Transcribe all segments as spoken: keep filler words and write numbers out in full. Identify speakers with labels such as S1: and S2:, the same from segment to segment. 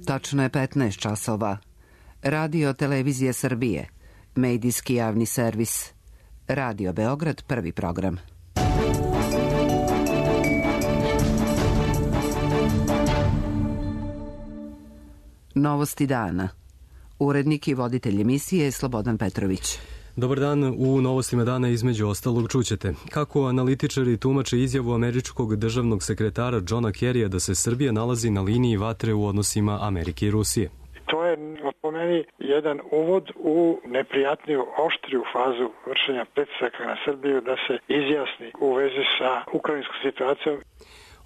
S1: Tačno je petnaest časova. Radio Televizije Srbije, medijski javni servis. Radio Beograd, prvi program. Novosti dana. Urednik i voditelj emisije je Slobodan Petrović.
S2: Dobar dan, u novostima dana između ostalog čućete kako analitičari tumače izjavu američkog državnog sekretara Johna Kerrya da se Srbija nalazi na liniji vatre u odnosima Amerike i Rusije.
S3: To je po meni jedan uvod u neprijatniju, oštriju fazu vršenja pritisaka na Srbiju da se izjasni u vezi sa ukrajinskom situacijom.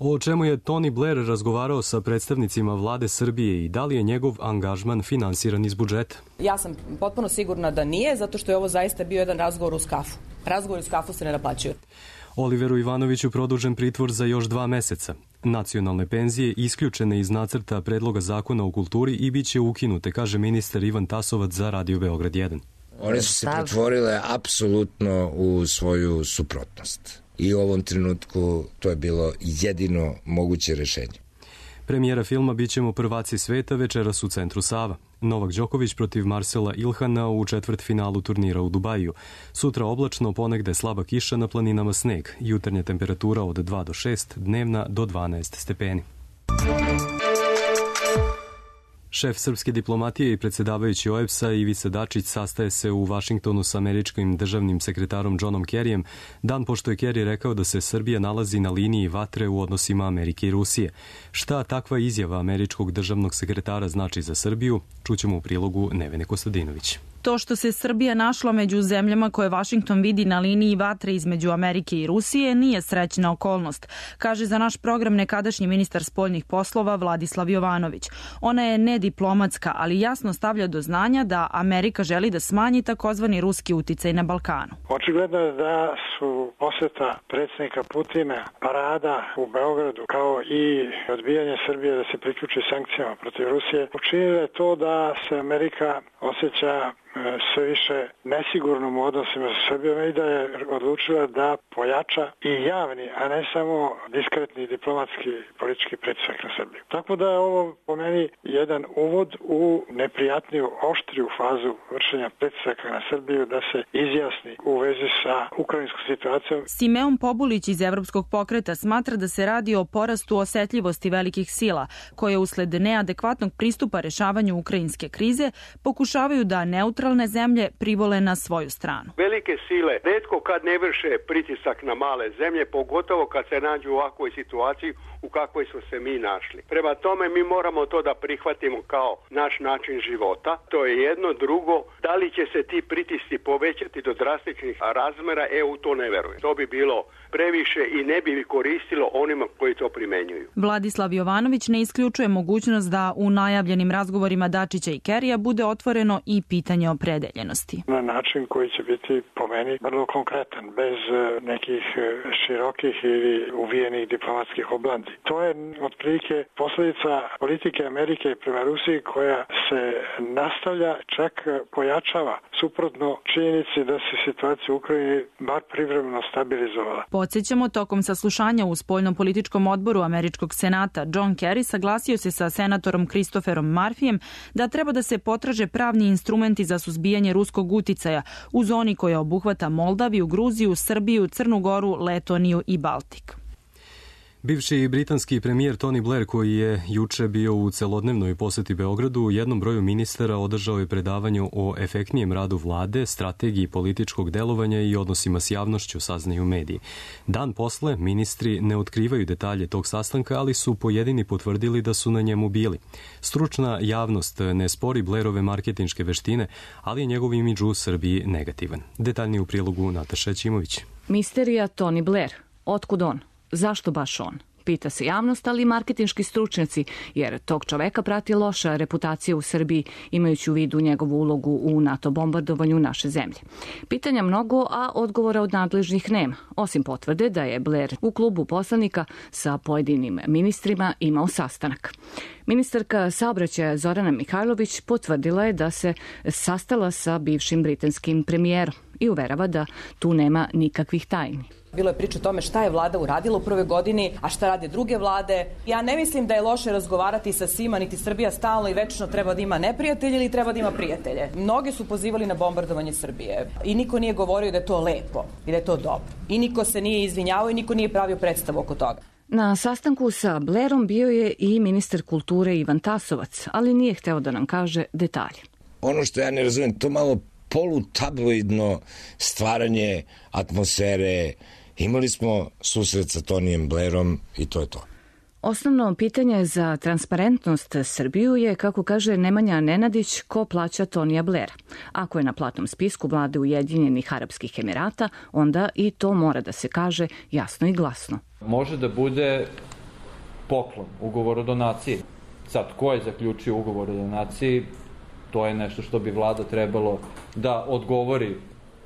S2: O čemu je Tony Blair razgovarao sa predstavnicima vlade Srbije i da li je njegov angažman finansiran iz budžeta?
S4: Ja sam potpuno sigurna da nije, zato što je ovo zaista bio jedan razgovor uz kafu. Razgovor uz kafu se ne naplaćuju.
S2: Oliveru Ivanoviću produžen pritvor za još dva meseca. Nacionalne penzije isključene iz nacrta predloga zakona o kulturi i bit će ukinute, kaže ministar Ivan Tasovac za Radio Beograd jedan.
S5: One su se pretvorile apsolutno u svoju suprotnost. I u ovom trenutku to je bilo jedino moguće rešenje.
S2: Premijera filma Bićemo prvaci sveta večeras u centru Sava. Novak Đoković protiv Marcela Ilhana u četvrtfinalu turnira u Dubaju. Sutra oblačno, ponegde slaba kiša, na planinama sneg. Jutarnja temperatura od dva do šest, dnevna do dvanaest stepeni. Šef srpske diplomatije i predsjedavajući O E B S-a Ivica Dačić sastaje se u Vašingtonu sa američkim državnim sekretarom Johnom Kerryjem, dan pošto je Kerry rekao da se Srbija nalazi na liniji vatre u odnosima Amerike i Rusije. Šta takva izjava američkog državnog sekretara znači za Srbiju, čućemo u prilogu Nevene Kostadinović.
S6: To što se Srbija našla među zemljama koje Vašington vidi na liniji vatre između Amerike i Rusije nije srećna okolnost, kaže za naš program nekadašnji ministar spoljnih poslova Vladislav Jovanović. Ona je nediplomatska, ali jasno stavlja do znanja da Amerika želi da smanji takozvani ruski uticaj na Balkanu.
S3: Očigledno je da su poseta predsjednika Putina, parada u Beogradu, kao i odbijanje Srbije da se priključi sankcijama protiv Rusije, učinile to da se Amerika osjeća sve više nesigurnom u odnosima sa Srbijom i da je odlučila da pojača i javni, a ne samo diskretni diplomatski politički pritisak na Srbiju. Tako da je ovo po meni jedan uvod u neprijatniju, oštriju fazu vršenja pritisaka na Srbiju da se izjasni u vezi sa ukrajinskom situacijom.
S6: Simeon Pobulić iz Evropskog pokreta smatra da se radi o porastu osetljivosti velikih sila, koje usled neadekvatnog pristupa rešavanju ukrajinske krize pokušavaju da neutralne neutralne zemlje privole na svoju stranu.
S7: Velike sile retko kad ne vrše pritisak na male zemlje, pogotovo kad se nađu u ovakvoj situaciji u kakvoj smo se mi našli. Prema tome mi moramo to da prihvatimo kao naš način života. To je jedno. Drugo, da li će se ti pritisci povećati do drastičnih razmera, e u to ne verujem. To bi bilo previše i ne bi koristilo onima koji to primenjuju.
S6: Vladislav Jovanović ne isključuje mogućnost da u najavljenim razgovorima Dačića i Kerrya bude otvoreno i pitanje opredeljenosti.
S3: Na način koji će biti po meni vrlo konkretan, bez nekih širokih ili uvijenih diplomatskih oblandi. To je otprilike posljedica politike Amerike prema Rusiji koja se nastavlja, čak pojačava, suprotno činjenici da se situacija u Ukrajini bar privremeno stabilizovala.
S6: Podsjećamo, tokom saslušanja u spoljnopolitičkom odboru Američkog senata, John Kerry saglasio se sa senatorom Christopherom Murphyjem da treba da se potraže pravni instrumenti za suzbijanje ruskog uticaja u zoni koja obuhvata Moldaviju, Gruziju, Srbiju, Crnu Goru, Letoniju i Baltik.
S2: Bivši britanski premijer Tony Blair, koji je juče bio u celodnevnoj poseti Beogradu, jednom broju ministara održao je predavanje o efektnijem radu vlade, strategiji političkog delovanja i odnosima s javnošću, saznaju mediji. Dan posle, ministri ne otkrivaju detalje tog sastanka, ali su pojedini potvrdili da su na njemu bili. Stručna javnost ne spori Blairove marketinške veštine, ali je njegov imidž u Srbiji negativan. Detaljnije u prilogu Nataša Ćimović.
S8: Misterija Tony Blair. Otkud on? Zašto baš on? Pita se javnost, ali i marketinški stručnjaci, jer tog čoveka prati loša reputacija u Srbiji, imajući u vidu njegovu ulogu u NATO bombardovanju naše zemlje. Pitanja mnogo, a odgovora od nadležnih nema, osim potvrde da je Blair u klubu poslanika sa pojedinim ministrima imao sastanak. Ministarka saobraćaja Zorana Mihajlović potvrdila je da se sastala sa bivšim britanskim premijerom i uverava da tu nema nikakvih tajni.
S4: Bilo je priča o tome šta je vlada uradila u prvoj godini, a šta rade druge vlade. Ja ne mislim da je loše razgovarati sa svima, niti Srbija stalno i večno treba da ima neprijatelje ili treba da ima prijatelje. Mnogi su pozivali na bombardovanje Srbije i niko nije govorio da je to lepo i da je to dobro. I niko se nije izvinjavao i niko nije pravio predstavu oko toga.
S8: Na sastanku sa Blairom bio je i ministar kulture Ivan Tasovac, ali nije hteo da nam kaže detalje.
S5: Ono što ja ne razumijem, to malo polutabloidno stvaranje atmosfere. Imali smo susret sa Tonijem Blairom i to je to.
S8: Osnovno pitanje za transparentnost Srbiju je, kako kaže Nemanja Nenadić, ko plaća Tonija Blaira. Ako je na platnom spisku vlade Ujedinjenih Arapskih Emirata, onda i to mora da se kaže jasno i glasno.
S9: Može da bude poklon, ugovor o donaciji. Sad, ko je zaključio ugovor o donaciji, to je nešto što bi vlada trebalo da odgovori.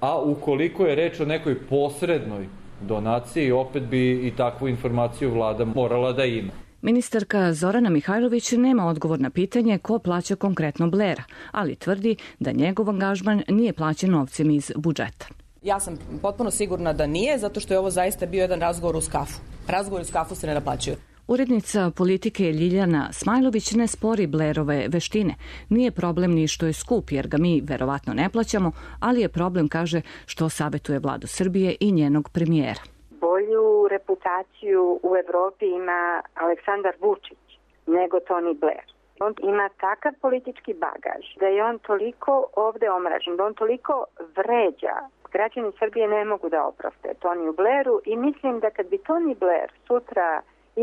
S9: A ukoliko je reč o nekoj posrednoj donaciji, opet bi i takvu informaciju vlada morala da ima.
S8: Ministarka Zorana Mihajlović nema odgovor na pitanje ko plaća konkretno Blaira, ali tvrdi da njegov angažman nije plaćen novcem iz budžeta.
S4: Ja sam potpuno sigurna da nije, zato što je ovo zaista bio jedan razgovor uz kafu. Razgovor uz kafu se ne naplaćuju.
S8: Urednica politike Ljiljana Smajlović ne spori Blairove veštine. Nije problem ni što je skup, jer ga mi verovatno ne plaćamo, ali je problem, kaže, što savetuje vladu Srbije i njenog premijera.
S10: Bolju reputaciju u Evropi ima Aleksandar Vučić nego Toni Blair. On ima takav politički bagaž da je on toliko ovde omražen, da on toliko vređa. Građani Srbije ne mogu da oproste Toniju Blairu i mislim da kad bi Toni Blair sutra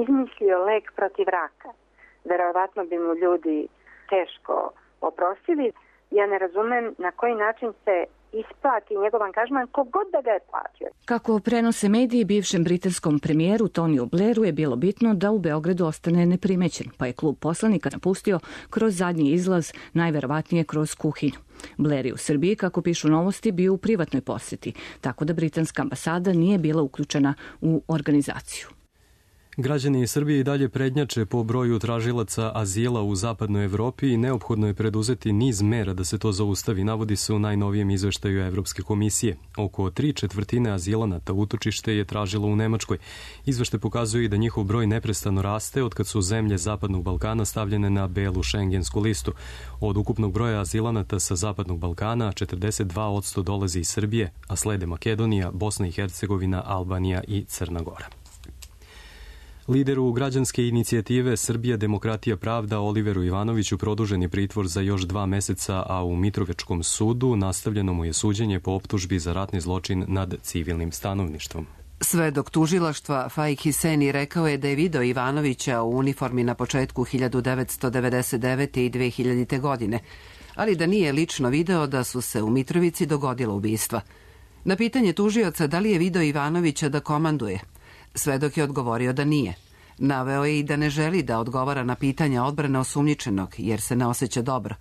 S10: izmislio lek protiv raka, verovatno bi mu ljudi teško oprostili. Ja ne razumem na koji način se isplati njegov angažman, kogod da ga je platio.
S8: Kako prenose mediji, bivšem britanskom premijeru Toniju Blairu je bilo bitno da u Beogradu ostane neprimećen, pa je klub poslanika napustio kroz zadnji izlaz, najverovatnije kroz kuhinju. Blair je u Srbiji, kako pišu Novosti, bio u privatnoj poseti, tako da britanska ambasada nije bila uključena u organizaciju.
S2: Građani Srbije i dalje prednjače po broju tražilaca azila u zapadnoj Evropi i neophodno je preduzeti niz mera da se to zaustavi, navodi se u najnovijem izveštaju Evropske komisije. Oko tri četvrtine azilanata utočište je tražilo u Nemačkoj. Izveštaj pokazuje i da njihov broj neprestano raste od kad su zemlje Zapadnog Balkana stavljene na belu šengensku listu. Od ukupnog broja azilanata sa Zapadnog Balkana četrdeset dva posto dolazi iz Srbije, a slede Makedonija, Bosna i Hercegovina, Albanija i Crna Gora. Lideru građanske inicijative Srbija, demokratija, pravda Oliveru Ivanoviću produžen je pritvor za još dva meseca, a u Mitrovečkom sudu nastavljeno mu je suđenje po optužbi za ratni zločin nad civilnim stanovništvom.
S1: Svedok tužilaštva Faik Hiseni rekao je da je video Ivanovića u uniformi na početku hiljadu devetsto devedeset devete. i dve hiljadite. godine, ali da nije lično video da su se u Mitrovici dogodila ubistva. Na pitanje tužioca da li je video Ivanovića da komanduje, svedok je odgovorio da nije. Naveo je i da ne želi da odgovara na pitanja odbrane osumnjičenog, jer se ne osjeća dobro,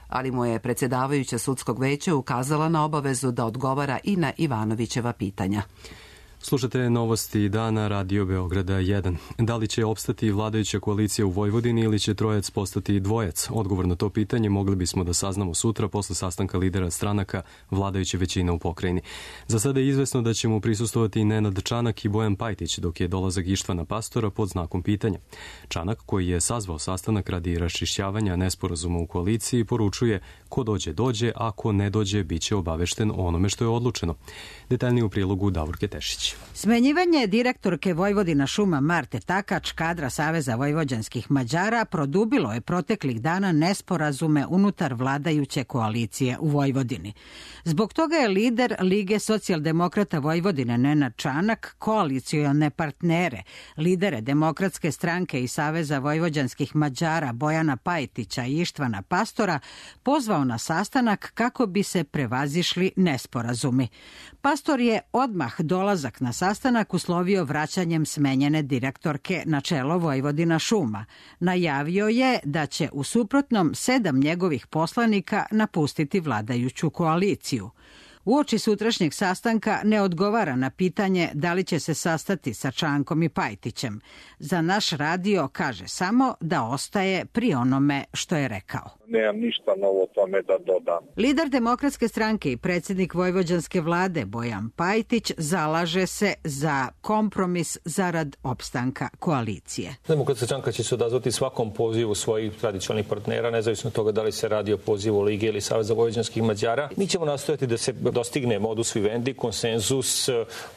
S1: ali mu je predsjedavajuća sudskog veća ukazala na obavezu da odgovara i na Ivanovićeva pitanja.
S2: Slušate novosti dana Radio Beograda jedan. Da li će opstati vladajuća koalicija u Vojvodini ili će trojac postati dvojac? Odgovor na to pitanje mogli bismo da saznamo sutra posle sastanka lidera stranaka vladajuće većine u pokrajini. Za sada je izvesno da će mu prisustovati Nenad Čanak i Bojan Pajtić, dok je dolazak Ištvana Pastora pod znakom pitanja. Čanak, koji je sazvao sastanak radi raščišćavanja nesporazuma u koaliciji, poručuje: ko dođe, dođe, a ko ne dođe, bit će obavešten o onome što je odlučeno. Detaljnije u prilogu Davorke Tešić.
S11: Smenjivanje direktorke Vojvodina šuma Marte Takač, kadra Saveza vojvođanskih Mađara, produbilo je proteklih dana nesporazume unutar vladajuće koalicije u Vojvodini. Zbog toga je lider Lige socijaldemokrata Vojvodine Nenad Čanak koalicione partnere, lidere Demokratske stranke i Saveza vojvođanskih Mađara Bojana Pajtića i Ištvana Pastora pozvao na sastanak kako bi se prevazišli nesporazumi. Pastor je odmah dolazak na sastanak uslovio vraćanjem smenjene direktorke na čelo Vojvodina šuma. Najavio je da će u suprotnom sedam njegovih poslanika napustiti vladajuću koaliciju. Uoči sutrašnjeg sastanka ne odgovara na pitanje da li će se sastati sa Čankom i Pajtićem. Za naš radio kaže samo da ostaje pri onome što je rekao.
S12: Nemam ništa novo tome da dodam.
S11: Lider Demokratske stranke i predsjednik vojvođanske vlade Bojan Pajtić zalaže se za kompromis zarad opstanka koalicije.
S13: Demokratska stranka će se odazvati svakom pozivu svojih tradicionalnih partnera, nezavisno od toga da li se radi o pozivu Lige ili Saveza vojvođanskih Mađara. Mi ćemo nastojati da se dostigne modus vivendi, konsenzus,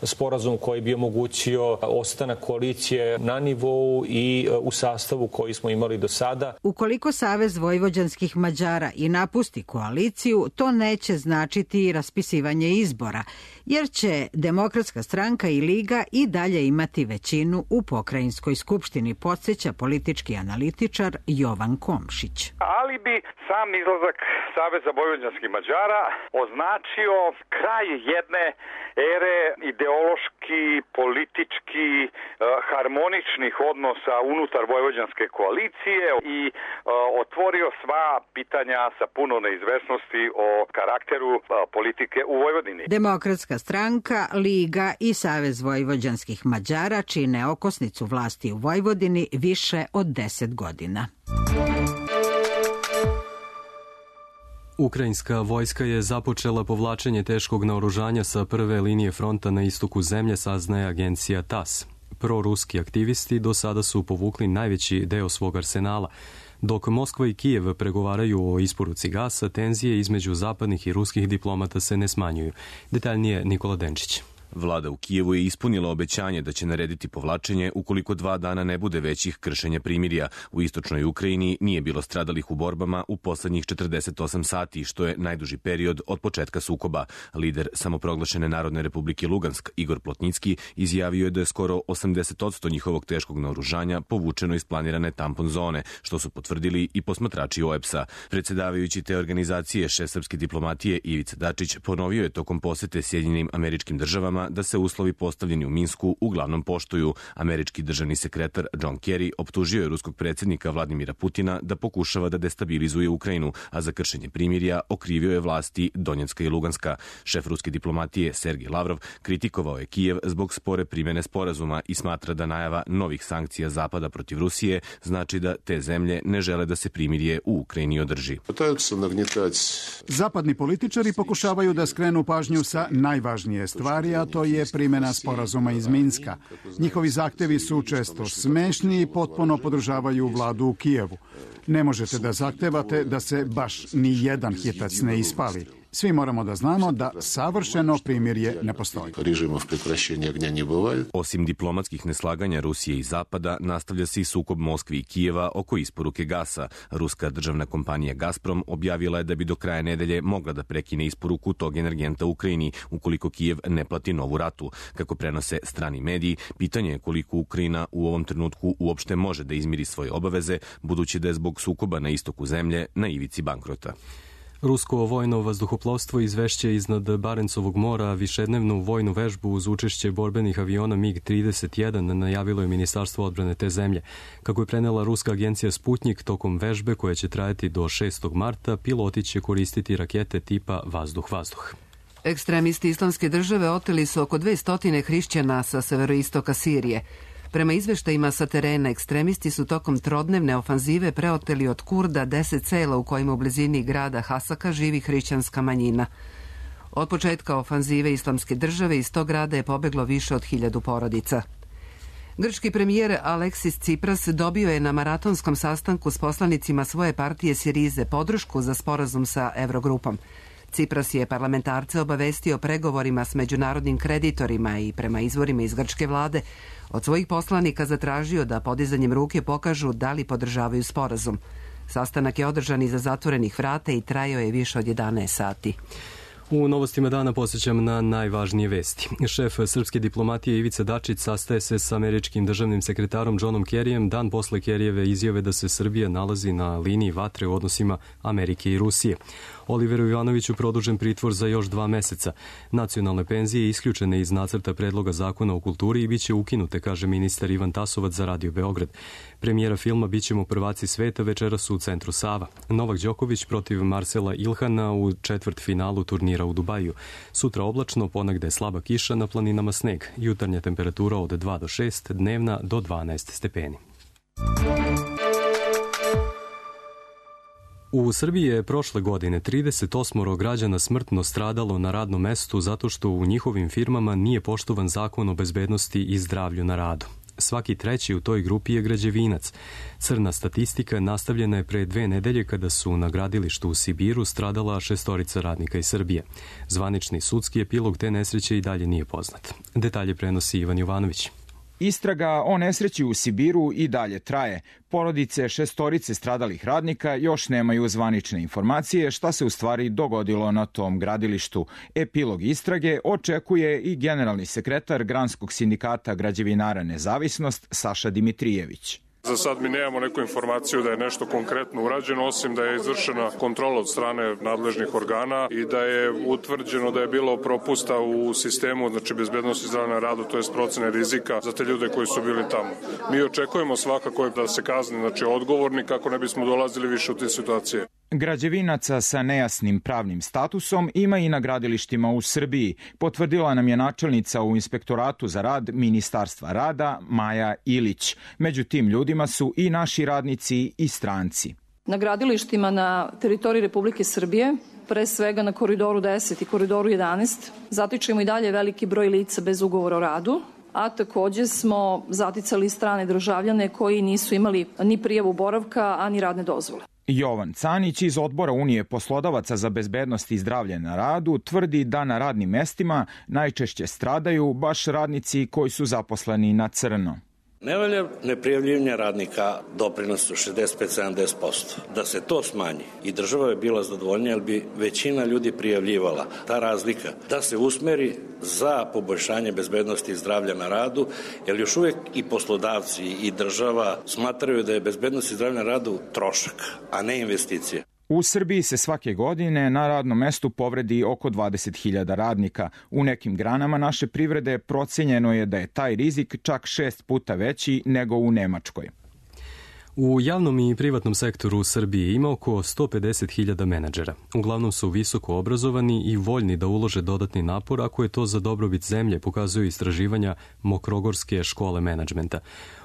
S13: sporazum koji bi omogućio ostanak koalicije na nivou i u sastavu koji smo imali do sada.
S11: Ukoliko Savez vojvođanskih Mađara i napusti koaliciju, to neće značiti raspisivanje izbora, jer će Demokratska stranka i Liga i dalje imati većinu u pokrajinskoj skupštini, podsjeća politički analitičar Jovan Komšić.
S14: Ali bi sam izlazak Saveza vojvođanskih Mađara označio kraj jedne ere ideološki, politički, harmoničnih odnosa unutar vojvođanske koalicije i otvorio sva pitanja sa puno neizvesnosti o karakteru politike u Vojvodini.
S11: Demokratska stranka, Liga i Savez vojvođanskih Mađara čine okosnicu vlasti u Vojvodini više od deset godina.
S2: Ukrajinska vojska je započela povlačenje teškog naoružanja sa prve linije fronta na istoku zemlje, saznaje agencija tas. Proruski aktivisti do sada su povukli najveći deo svog arsenala. Dok Moskva i Kijev pregovaraju o isporuci gasa, tenzije između zapadnih i ruskih diplomata se ne smanjuju. Detaljnije Nikola Denčić.
S15: Vlada u Kijevu je ispunila obećanje da će narediti povlačenje ukoliko dva dana ne bude većih kršenja primirja. U istočnoj Ukrajini nije bilo stradalih u borbama u poslednjih četrdeset osam sati, što je najduži period od početka sukoba. Lider samoproglašene Narodne republike Lugansk, Igor Plotnicki, izjavio je da je skoro osamdeset posto njihovog teškog naoružanja povučeno iz planirane tampon zone, što su potvrdili i posmatrači O E P S-a. Predsjedavajući te organizacije, šef srpske diplomatije Ivica Dačić ponovio je tokom posete Sjedinjenim Američkim Državama da se uslovi postavljeni u Minsku uglavnom poštuju. Američki državni sekretar John Kerry optužio je ruskog predsjednika Vladimira Putina da pokušava da destabilizuje Ukrajinu, a za kršenje primirja okrivio je vlasti Donjecka i Luganska. Šef ruske diplomatije Sergej Lavrov kritikovao je Kijev zbog spore primjene sporazuma i smatra da najava novih sankcija Zapada protiv Rusije znači da te zemlje ne žele da se primirje u Ukrajini održi.
S16: Zapadni političari pokušavaju da skrenu pažnju sa najvažnije stvari, a to je primjena sporazuma iz Minska. Njihovi zahtevi su često smešni i potpuno podržavaju vladu u Kijevu. Ne možete da zahtevate da se baš ni jedan hitac ne ispali. Svi moramo da znamo da savršeno primirje ne postoji.
S15: Osim diplomatskih neslaganja Rusije i Zapada, nastavlja se i sukob Moskve i Kijeva oko isporuke gasa. Ruska državna kompanija Gazprom objavila je da bi do kraja nedelje mogla da prekine isporuku tog energenta Ukrajini ukoliko Kijev ne plati novu ratu. Kako prenose strani mediji, pitanje je koliko Ukrajina u ovom trenutku uopšte može da izmiri svoje obaveze, budući da je zbog sukoba na istoku zemlje na ivici bankrota.
S2: Rusko vojno vazduhoplovstvo izvešće iznad Barencovog mora višednevnu vojnu vežbu uz učešće borbenih aviona mig trideset jedan najavilo je Ministarstvo odbrane te zemlje. Kako je prenela ruska agencija Sputnik, tokom vežbe koja će trajati do šestog marta, piloti će koristiti rakete tipa vazduh-vazduh.
S1: Ekstremisti Islamske države oteli su oko dvesta hrišćana sa severoistoka Sirije. Prema izveštajima sa terena, ekstremisti su tokom trodnevne ofanzive preoteli od Kurda deset sela u kojima u blizini grada Hasaka živi hrišćanska manjina. Od početka ofanzive Islamske države iz tog grada je pobeglo više od hiljadu porodica. Grčki premijer Aleksis Tsipras dobio je na maratonskom sastanku s poslanicima svoje partije Sirize podršku za sporazum sa Evrogrupom. Tsipras je parlamentarce obavestio pregovorima s međunarodnim kreditorima i prema izvorima iz grčke vlade od svojih poslanika zatražio da podizanjem ruke pokažu da li podržavaju sporazum. Sastanak je održan iza zatvorenih vrata i trajao je više od jedanaest sati.
S2: U novostima dana posjećam na najvažnije vesti. Šef srpske diplomatije Ivica Dačić sastaje se s američkim državnim sekretarom Johnom Kerryjem dan posle Kerryjeve izjave da se Srbija nalazi na liniji vatre u odnosima Amerike i Rusije. Oliveru Ivanoviću produžen pritvor za još dva meseca. Nacionalne penzije isključene iz nacrta predloga zakona o kulturi i biće ukinute, kaže ministar Ivan Tasovac za Radio Beograd. Premijera filma Bićemo prvaci sveta večeras u centru Sava. Novak Đoković protiv Marcela Ilhana u četvrt finalu turnira zamjera u Dubaju. Sutra oblačno, ponegde slaba kiša, na planinama sneg. Jutarnja temperatura od dva do šest, dnevna do dvanaest stepeni. U Srbiji je prošle godine trideset osam građana smrtno stradalo na radnom mestu zato što u njihovim firmama nije poštovan zakon o bezbednosti i zdravlju na radu. Svaki treći u toj grupi je građevinac. Crna statistika nastavljena je pre dve nedelje kada su na gradilištu u Sibiru stradala šestorica radnika iz Srbije. Zvanični sudski epilog te nesreće i dalje nije poznat. Detalje prenosi Ivan Jovanović.
S17: Istraga o nesreći u Sibiru i dalje traje. Porodice šestorice stradalih radnika još nemaju zvanične informacije šta se u stvari dogodilo na tom gradilištu. Epilog istrage očekuje i generalni sekretar Granskog sindikata građevinara Nezavisnost Saša Dimitrijević.
S18: Za sad mi nemamo neku informaciju da je nešto konkretno urađeno, osim da je izvršena kontrola od strane nadležnih organa i da je utvrđeno da je bilo propusta u sistemu, znači bezbednosti zdravlja na radu, to je procene rizika za te ljude koji su bili tamo. Mi očekujemo svakako da se kazni, znači odgovorni, kako ne bismo dolazili više u te situacije.
S17: Građevinaca sa nejasnim pravnim statusom ima i na gradilištima u Srbiji, potvrdila nam je načelnica u Inspektoratu za rad Ministarstva rada Maja Ilić. Među tim ljudima su i naši radnici i stranci.
S19: Na gradilištima na teritoriji Republike Srbije, pre svega na Koridoru deset i Koridoru jedanaest, zatičemo i dalje veliki broj lica bez ugovora o radu, a takođe smo zaticali strane državljane koji nisu imali ni prijavu boravka, a ni radne dozvole.
S17: Jovan Canić iz Odbora Unije poslodavaca za bezbednost i zdravlje na radu tvrdi da na radnim mestima najčešće stradaju baš radnici koji su zaposleni na crno.
S20: Nevolja neprijavljivanja radnika doprinosu šezdeset pet do sedamdeset posto. Da se to smanji i država je bila zadovoljnija, jer bi većina ljudi prijavljivala. Ta razlika da se usmeri za poboljšanje bezbednosti i zdravlja na radu, jer još uvijek i poslodavci i država smatraju da je bezbednost i zdravlje na radu trošak, a ne investicija.
S17: U Srbiji se svake godine na radnom mestu povredi oko dvadeset hiljada radnika. U nekim granama naše privrede procenjeno je da je taj rizik čak šest puta veći nego u Nemačkoj.
S2: U javnom i privatnom sektoru u Srbiji ima oko sto pedeset hiljada menadžera. Uglavnom su visoko obrazovani i voljni da ulože dodatni napor ako je to za dobrobit zemlje, pokazuju istraživanja Mokrogorske škole menadžmenta.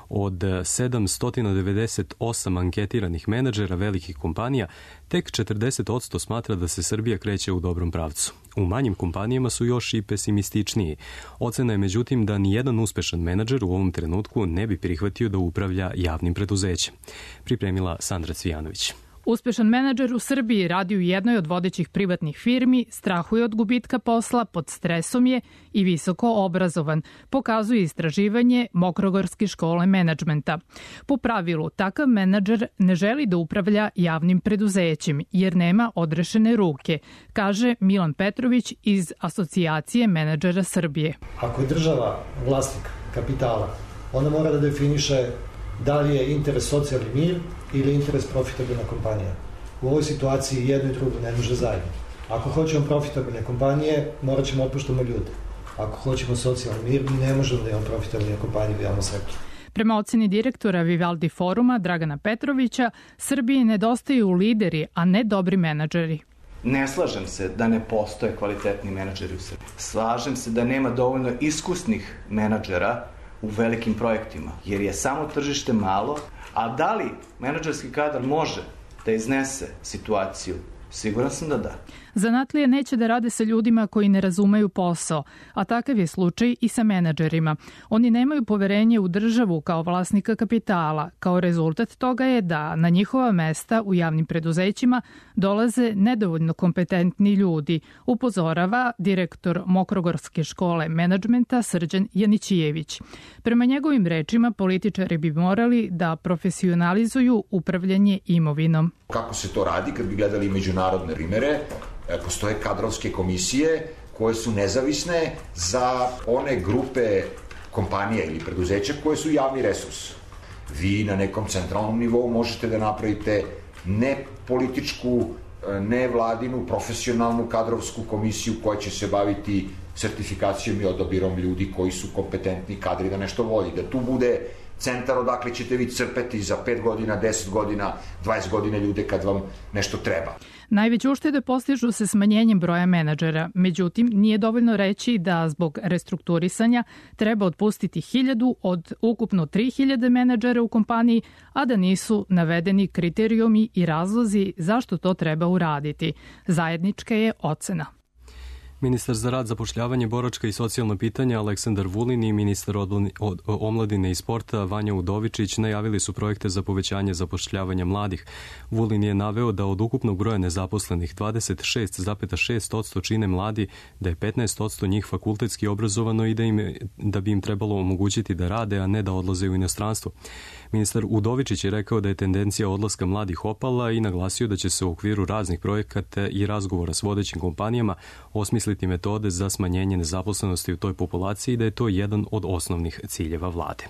S2: Od sedamsto devedeset osam anketiranih menadžera velikih kompanija, tek četrdeset posto smatra da se Srbija kreće u dobrom pravcu. U manjim kompanijama su još i pesimističniji. Ocena je međutim da nijedan uspešan menadžer u ovom trenutku ne bi prihvatio da upravlja javnim preduzećem. Pripremila Sandra Cvijanović.
S21: Uspešan menadžer u Srbiji radi u jednoj od vodećih privatnih firmi, strahuje od gubitka posla, pod stresom je i visoko obrazovan, pokazuje istraživanje Mokrogorske škole menadžmenta. Po pravilu, takav menadžer ne želi da upravlja javnim preduzećem jer nema odrešene ruke, kaže Milan Petrović iz Asocijacije menadžera Srbije.
S22: Ako je država vlasnik kapitala, ona mora da definiše da li je interes socijalni mir ili interes profitabilna kompanija. U ovoj situaciji jedno i drugo ne može zajedno. Ako hoćemo profitabilne kompanije, morat ćemo otpuštamo ljude. Ako hoćemo socijalni mir, mi ne možemo da imamo profitabilne kompanije u javnom sektoru.
S21: Prema oceni direktora Vivaldi foruma Dragana Petrovića, Srbiji nedostaju lideri, a ne dobri menadžeri.
S23: Ne slažem se da ne postoje kvalitetni menadžeri u Srbiji. Slažem se da nema dovoljno iskusnih menadžera u velikim projektima, jer je samo tržište malo, a da li menadžerski kadar može da iznese situaciju? Siguran sam da da.
S21: Zanatlije neće da rade sa ljudima koji ne razumeju posao, a takav je slučaj i sa menadžerima. Oni nemaju poverenje u državu kao vlasnika kapitala. Kao rezultat toga je da na njihova mesta u javnim preduzećima dolaze nedovoljno kompetentni ljudi, upozorava direktor Mokrogorske škole menadžmenta Srđan Janićijević. Prema njegovim rečima, političari bi morali da profesionalizuju upravljanje imovinom.
S24: Kako se to radi kad bi gledali međunarodne primere? Postoje kadrovske komisije koje su nezavisne za one grupe kompanija ili preduzeća koje su javni resurs. Vi na nekom centralnom nivou možete da napravite ne političku, ne vladinu, profesionalnu kadrovsku komisiju koja će se baviti sertifikacijom i odabirom ljudi koji su kompetentni kadri da nešto vodi. Da tu bude centar odakle ćete vi crpeti za pet godina, deset godina, dvadeset godina ljude kad vam nešto treba.
S21: Najveće uštede postižu se smanjenjem broja menadžera. Međutim, nije dovoljno reći da zbog restrukturisanja treba otpustiti hiljadu od ukupno tri hiljade menadžera u kompaniji, a da nisu navedeni kriterijumi i razlozi zašto to treba uraditi. Zajednička je ocena.
S2: Ministar za rad, zapošljavanje, boračka i socijalna pitanja Aleksandar Vulin i ministar omladine i sporta Vanja Udovičić najavili su projekte za povećanje zapošljavanja mladih. Vulin je naveo da od ukupnog broja nezaposlenih dvadeset šest zarez šest posto čine mladi, da je petnaest posto njih fakultetski obrazovano i da, im, da bi im trebalo omogućiti da rade, a ne da odlaze u inostranstvo. Ministar Udovičić je rekao da je tendencija odlaska mladih opala i naglasio da će se u okviru raznih projekata i razgovora s vodećim kompanijama osmisliti metode za smanjenje nezaposlenosti u toj populaciji i da je to jedan od osnovnih ciljeva vlade.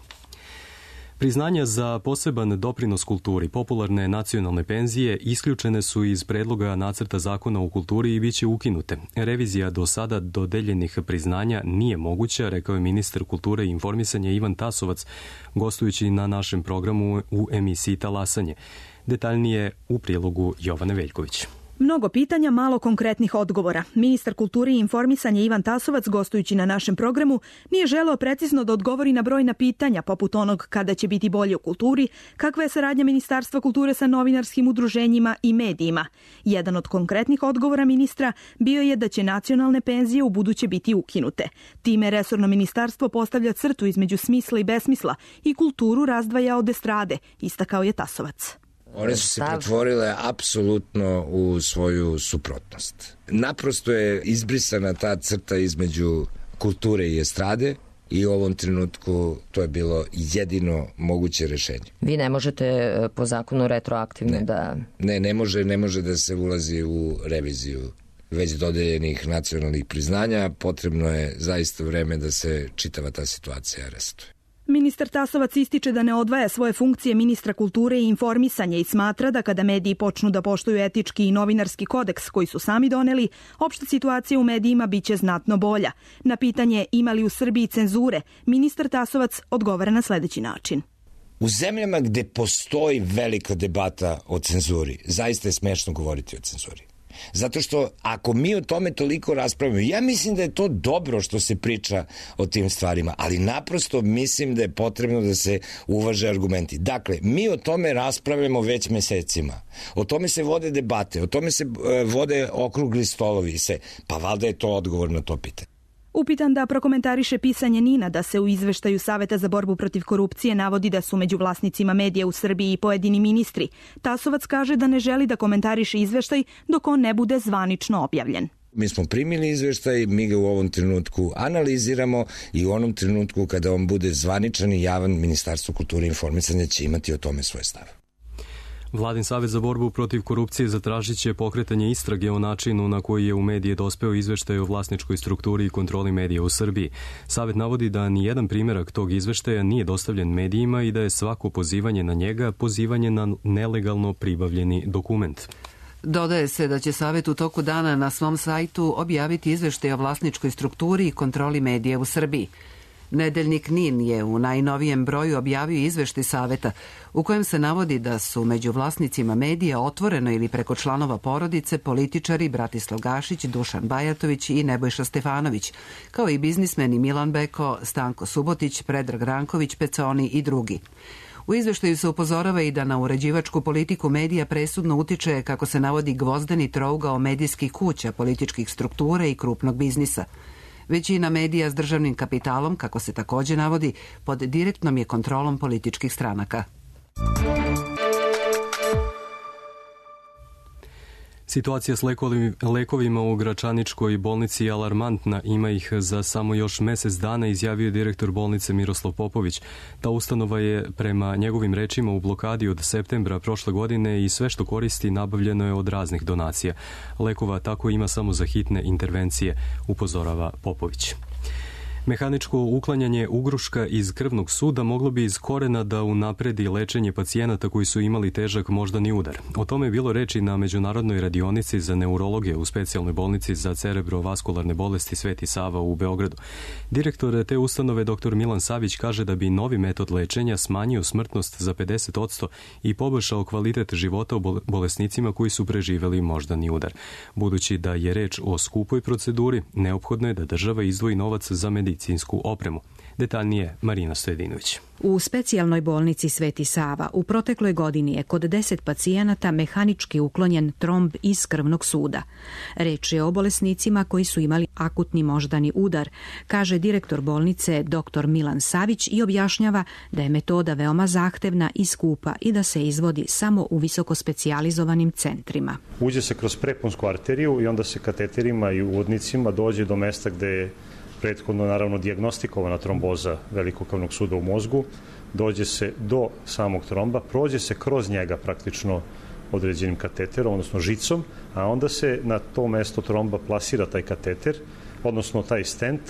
S2: Priznanja za poseban doprinos kulturi, popularne nacionalne penzije, isključene su iz predloga nacrta zakona o kulturi i bit će ukinute. Revizija do sada dodeljenih priznanja nije moguća, rekao je ministar kulture i informisanja Ivan Tasovac, gostujući na našem programu u emisiji Talasanje. Detaljnije u prilogu Jovane Veljković.
S3: Mnogo pitanja, malo konkretnih odgovora. Ministar kulture i informisanja Ivan Tasovac, gostujući na našem programu, nije želeo precizno da odgovori na brojna pitanja, poput onog kada će biti bolje u kulturi, kakva je saradnja Ministarstva kulture sa novinarskim udruženjima i medijima. Jedan od konkretnih odgovora ministra bio je da će nacionalne penzije u buduće biti ukinute. Time resorno ministarstvo postavlja crtu između smisla i besmisla i kulturu razdvaja od estrade, istakao je Tasovac.
S5: One su se pretvorile apsolutno u svoju suprotnost. Naprosto je izbrisana ta crta između kulture i estrade i u ovom trenutku to je bilo jedino moguće rešenje.
S6: Vi ne možete po zakonu retroaktivno
S5: ne.
S6: da...
S5: Ne, ne može, ne može da se ulazi u reviziju već dodeljenih nacionalnih priznanja. Potrebno je zaista vreme da se čitava ta situacija resetuje.
S3: Ministar Tasovac ističe da ne odvaja svoje funkcije ministra kulture i informisanja i smatra da kada mediji počnu da poštuju etički i novinarski kodeks koji su sami doneli, opšta situacija u medijima biće znatno bolja. Na pitanje ima li u Srbiji cenzure, ministar Tasovac odgovara na sledeći način.
S5: U zemljama gde postoji velika debata o cenzuri, zaista je smešno govoriti o cenzuri. Zato što ako mi o tome toliko raspravimo, ja mislim da je to dobro što se priča o tim stvarima, ali naprosto mislim da je potrebno da se uvaže argumenti. Dakle, mi o tome raspravljamo već mesecima. O tome se vode debate, o tome se vode okrugli stolovi, se, pa valjda je to odgovor na to pitanje.
S3: Upitan da prokomentariše pisanje NIN-a da se u izveštaju Saveta za borbu protiv korupcije navodi da su među vlasnicima medija u Srbiji i pojedini ministri, Tasovac kaže da ne želi da komentariše izveštaj dok on ne bude zvanično objavljen.
S5: Mi smo primili izveštaj, mi ga u ovom trenutku analiziramo i u onom trenutku kada on bude zvaničan i javan, Ministarstvo kulture i informisanja će imati o tome svoj stav.
S2: Vladin Savet za borbu protiv korupcije zatražit će pokretanje istrage o načinu na koji je u medije dospeo izveštaj o vlasničkoj strukturi i kontroli medija u Srbiji. Savet navodi da ni jedan primjerak tog izveštaja nije dostavljen medijima i da je svako pozivanje na njega pozivanje na nelegalno pribavljeni dokument.
S1: Dodaje se da će Savet u toku dana na svom sajtu objaviti izveštaj o vlasničkoj strukturi i kontroli medija u Srbiji. Nedeljnik NIN je u najnovijem broju objavio izveštaj Saveta u kojem se navodi da su među vlasnicima medija otvoreno ili preko članova porodice političari Bratislav Gašić, Dušan Bajatović i Nebojša Stefanović, kao i biznismeni Milan Beko, Stanko Subotić, Predrag Ranković, Peconi i drugi. U izveštaju se upozorava i da na uređivačku politiku medija presudno utiče, kako se navodi, gvozdeni trougao medijskih kuća, političkih struktura i krupnog biznisa. Većina medija s državnim kapitalom, kako se takođe navodi, pod direktnom je kontrolom političkih stranaka.
S2: Situacija s lekovima u Gračaničkoj bolnici je alarmantna, ima ih za samo još mesec dana, izjavio direktor bolnice Miroslav Popović. Ta ustanova je prema njegovim rečima u blokadi od septembra prošle godine i sve što koristi nabavljeno je od raznih donacija. Lekova tako ima samo za hitne intervencije, upozorava Popović. Mehaničko uklanjanje ugruška iz krvnog suda moglo bi iz korena da unapredi lečenje pacijenata koji su imali težak moždani udar. O tome je bilo reči na međunarodnoj radionici za neurologije u specijalnoj bolnici za cerebrovaskularne bolesti Sveti Sava u Beogradu. Direktor te ustanove dr Milan Savić kaže da bi novi metod lečenja smanjio smrtnost za pedeset posto i poboljšao kvalitet života u bolesnicima koji su preživeli moždani udar. Budući da je reč o skupoj proceduri, neophodno je da država izdvoji novac za medicinsku opremu. Detaljnije Marina Stojedinović.
S4: U specijalnoj bolnici Sveti Sava u protekloj godini je kod deset pacijenata mehanički uklonjen tromb iz krvnog suda. Reč je o bolesnicima koji su imali akutni moždani udar, kaže direktor bolnice dr Milan Savić i objašnjava da je metoda veoma zahtevna i skupa i da se izvodi samo u visoko specijalizovanim centrima.
S7: Uđe se kroz preponsku arteriju i onda se kateterima i uvodnicima dođe do mesta gde je prethodno naravno dijagnostikovana tromboza velikokavnog suda u mozgu, dođe se do samog tromba, prođe se kroz njega praktično određenim kateterom, odnosno žicom, a onda se na to mesto tromba plasira taj kateter, odnosno taj stent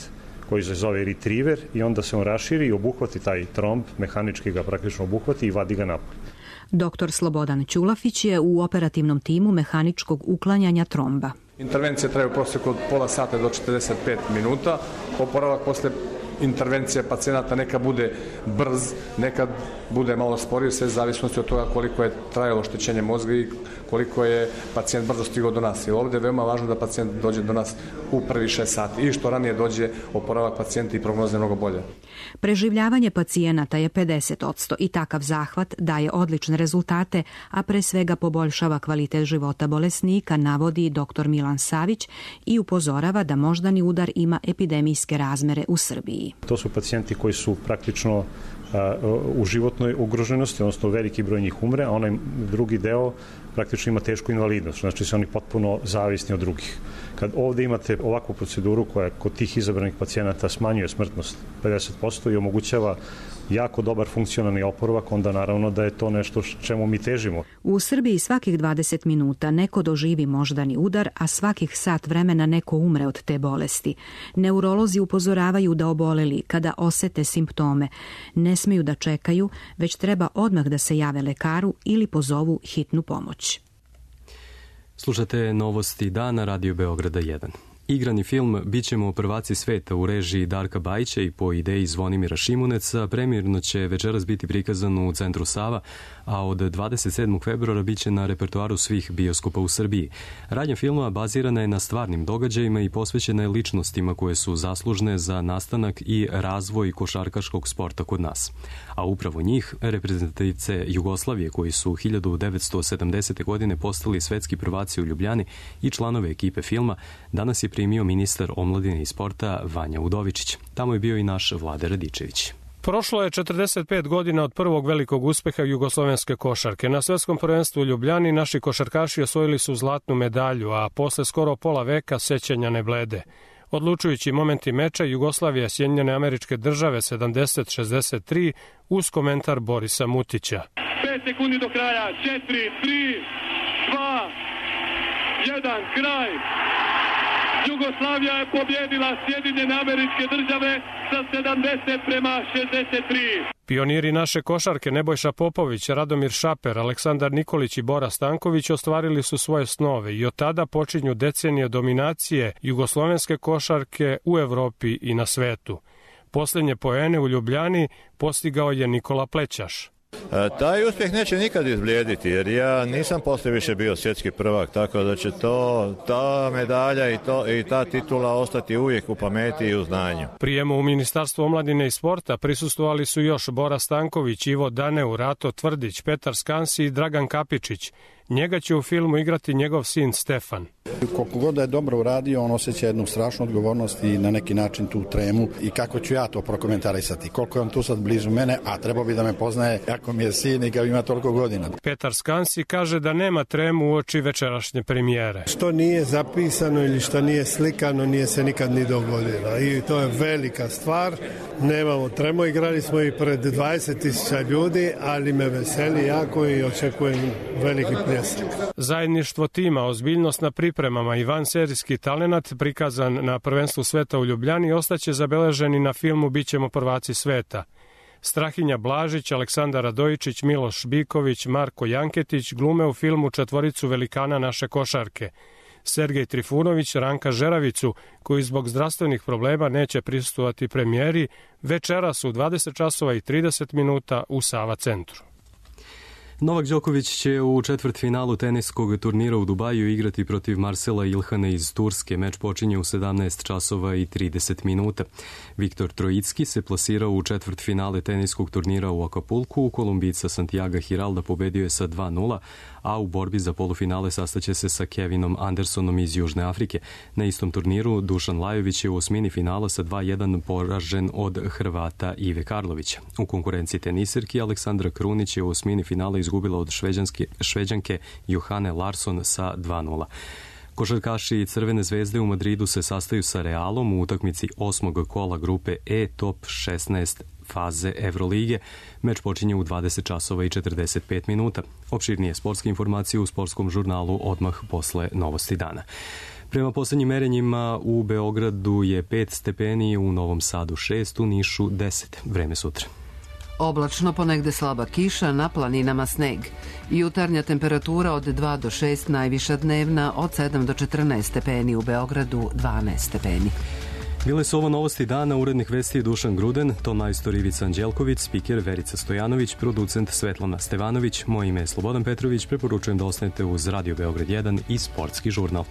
S7: koji se zove retriever i onda se on raširi i obuhvati taj tromb, mehanički ga praktično obuhvati i vadi ga napolje.
S4: Doktor Slobodan Ćulafić je u operativnom timu mehaničkog uklanjanja tromba.
S9: Intervencija traje u prosjeku od pola sata do četrdeset pet minuta. Oporavak posle intervencije pacijenata neka bude brz, nekad bude malo sporiji, sve zavisnosti od toga koliko je trajalo oštećenje mozga i koliko je pacijent brzo stigao do nas. I ovdje je veoma važno da pacijent dođe do nas u prvi šest sati i što ranije dođe oporavak pacijenta i prognoza je mnogo bolje.
S4: Preživljavanje pacijenata je pedeset posto i takav zahvat daje odlične rezultate, a pre svega poboljšava kvalitet života bolesnika, navodi dr Milan Savić i upozorava da moždani udar ima epidemijske razmere u Srbiji.
S7: To su pacijenti koji su praktično a, u životnoj ugroženosti, odnosno veliki broj njih umre, a onaj drugi deo praktično ima tešku invalidnost, znači su oni potpuno zavisni od drugih. Kad ovde imate ovakvu proceduru koja kod tih izabranih pacijenata smanjuje smrtnost pedeset posto i omogućava jako dobar funkcionalni oporavak, onda naravno da je to nešto čemu mi težimo.
S4: U Srbiji svakih dvadeset minuta neko doživi moždani udar, a svakih sat vremena neko umre od te bolesti. Neurolozi upozoravaju da oboleli, kada osete simptome, ne smeju da čekaju, već treba odmah da se jave lekaru ili pozovu hitnu pomoć.
S2: Slušate novosti dana Radio Beograda jedan. Igrani film Bićemo prvaci sveta u režiji Darka Bajića i po ideji Zvonimira Šimuneca premijerno će večeras biti prikazan u Centru Sava, a od dvadeset sedmog februara biće na repertoaru svih bioskopa u Srbiji. Radnja filma bazirana je na stvarnim događajima i posvećena je ličnostima koje su zaslužne za nastanak i razvoj košarkaškog sporta kod nas. A upravo njih, reprezentativce Jugoslavije koji su hiljadu devetsto sedamdesete. godine postali svetski prvaci u Ljubljani i članove ekipe filma, danas je primio ministar omladine i sporta Vanja Udovičić. Tamo je bio i naš Vlade Radičević.
S10: Prošlo je četrdeset pet godina od prvog velikog uspeha jugoslovenske košarke. Na svetskom prvenstvu u Ljubljani naši košarkaši osvojili su zlatnu medalju, a posle skoro pola veka sećanja ne blede. Odlučujući momenti meča Jugoslavija Sjedinjene Američke Države sedamdeset šezdeset tri uz komentar Borisa Mutića.
S25: pet sekundi do kraja, četiri, tri, dva, jedan, kraj. Jugoslavija je pobjedila Sjedinjene Američke Države sa sedamdeset prema šezdeset tri.
S10: Pioniri naše košarke Nebojša Popović, Radomir Šaper, Aleksandar Nikolić i Bora Stanković ostvarili su svoje snove i od tada počinju decenije dominacije jugoslovenske košarke u Evropi i na svetu. Posljednje poene u Ljubljani postigao je Nikola Plećaš.
S26: E, taj uspjeh neće nikad izblijediti, jer ja nisam posle više bio svjetski prvak, tako da će to, ta medalja i, to, i ta titula ostati uvijek u pameti i u znanju.
S10: Prijemu u Ministarstvu omladine i sporta prisustvovali su još Bora Stanković, Ivo Daneu, Rato Tvrdić, Petar Skansi i Dragan Kapičić. Njega će u filmu igrati njegov sin Stefan.
S27: Koliko god da je dobro uradio, on osjeća jednu strašnu odgovornost i na neki način tu tremu i kako ću ja to prokomentarisati. Koliko je on tu sad blizu mene, a trebao bi da me poznaje ako mi je sin i kao ima toliko godina.
S10: Petar Skansi kaže da nema tremu u oči večerašnje premijere.
S28: Što nije zapisano ili što nije slikano, nije se nikad ni dogodilo. I to je velika stvar. Nemamo tremu, igrali smo i pred dvadeset tisuća ljudi, ali me veseli jako i očekujem veliki prijatelj. jesam.
S10: Zajedništvo tima, ozbiljnost na pripremama i vanserijski talenat prikazan na prvenstvu sveta u Ljubljani ostaće zabeleženi na filmu Bićemo prvaci sveta. Strahinja Blažić, Aleksandar Radojičić, Miloš Biković, Marko Janketić glume u filmu četvoricu velikana naše košarke. Sergej Trifunović Ranka Žeravicu, koji zbog zdravstvenih problema neće prisustvovati premijeri, večeras u dvadeset časova i trideset minuta u Sava centru.
S2: Novak Đoković će u četvrtfinalu teniskog turnira u Dubaju igrati protiv Marcela Ilhana iz Turske. Meč počinje u sedamnaest časova i trideset minuta. Viktor Trojicki se plasirao u četvrtfinale teniskog turnira u Akapulku. Kolumbica Santiago Hiralda pobedio je sa dva nula, a u borbi za polufinale sastaće se sa Kevinom Andersonom iz Južne Afrike. Na istom turniru Dušan Lajović je u osmini finala sa dva jedan poražen od Hrvata Ive Karlovića. U konkurenciji tenisirki Aleksandra Krunić je u osmini finala izgubila od Šveđanke Johane Larsson sa dva nula. Košarkaši Crvene zvezde u Madridu se sastaju sa Realom u utakmici osmog kola grupe E top šesnaest faze Evrolige. Meč počinje u dvadeset časova i četrdeset pet minuta. Opširnije sportske informacije u sportskom žurnalu odmah posle novosti dana. Prema poslednjim merenjima u Beogradu je pet stepeni, u Novom Sadu šest, u Nišu deset. Vreme sutra.
S1: Oblačno, ponegde slaba kiša, na planinama sneg. Jutarnja temperatura od dva do šest, najviša dnevna od sedam do četrnaest stepeni, u Beogradu dvanaest stepeni.
S2: Bile su ovo novosti dana, urednik vesti Dušan Gruden, ton majstor Ivica Anđelković, spiker Verica Stojanović, producent Svetlana Stevanović, moje ime je Slobodan Petrović, preporučujem da ostanete uz Radio Beograd jedan i sportski žurnal.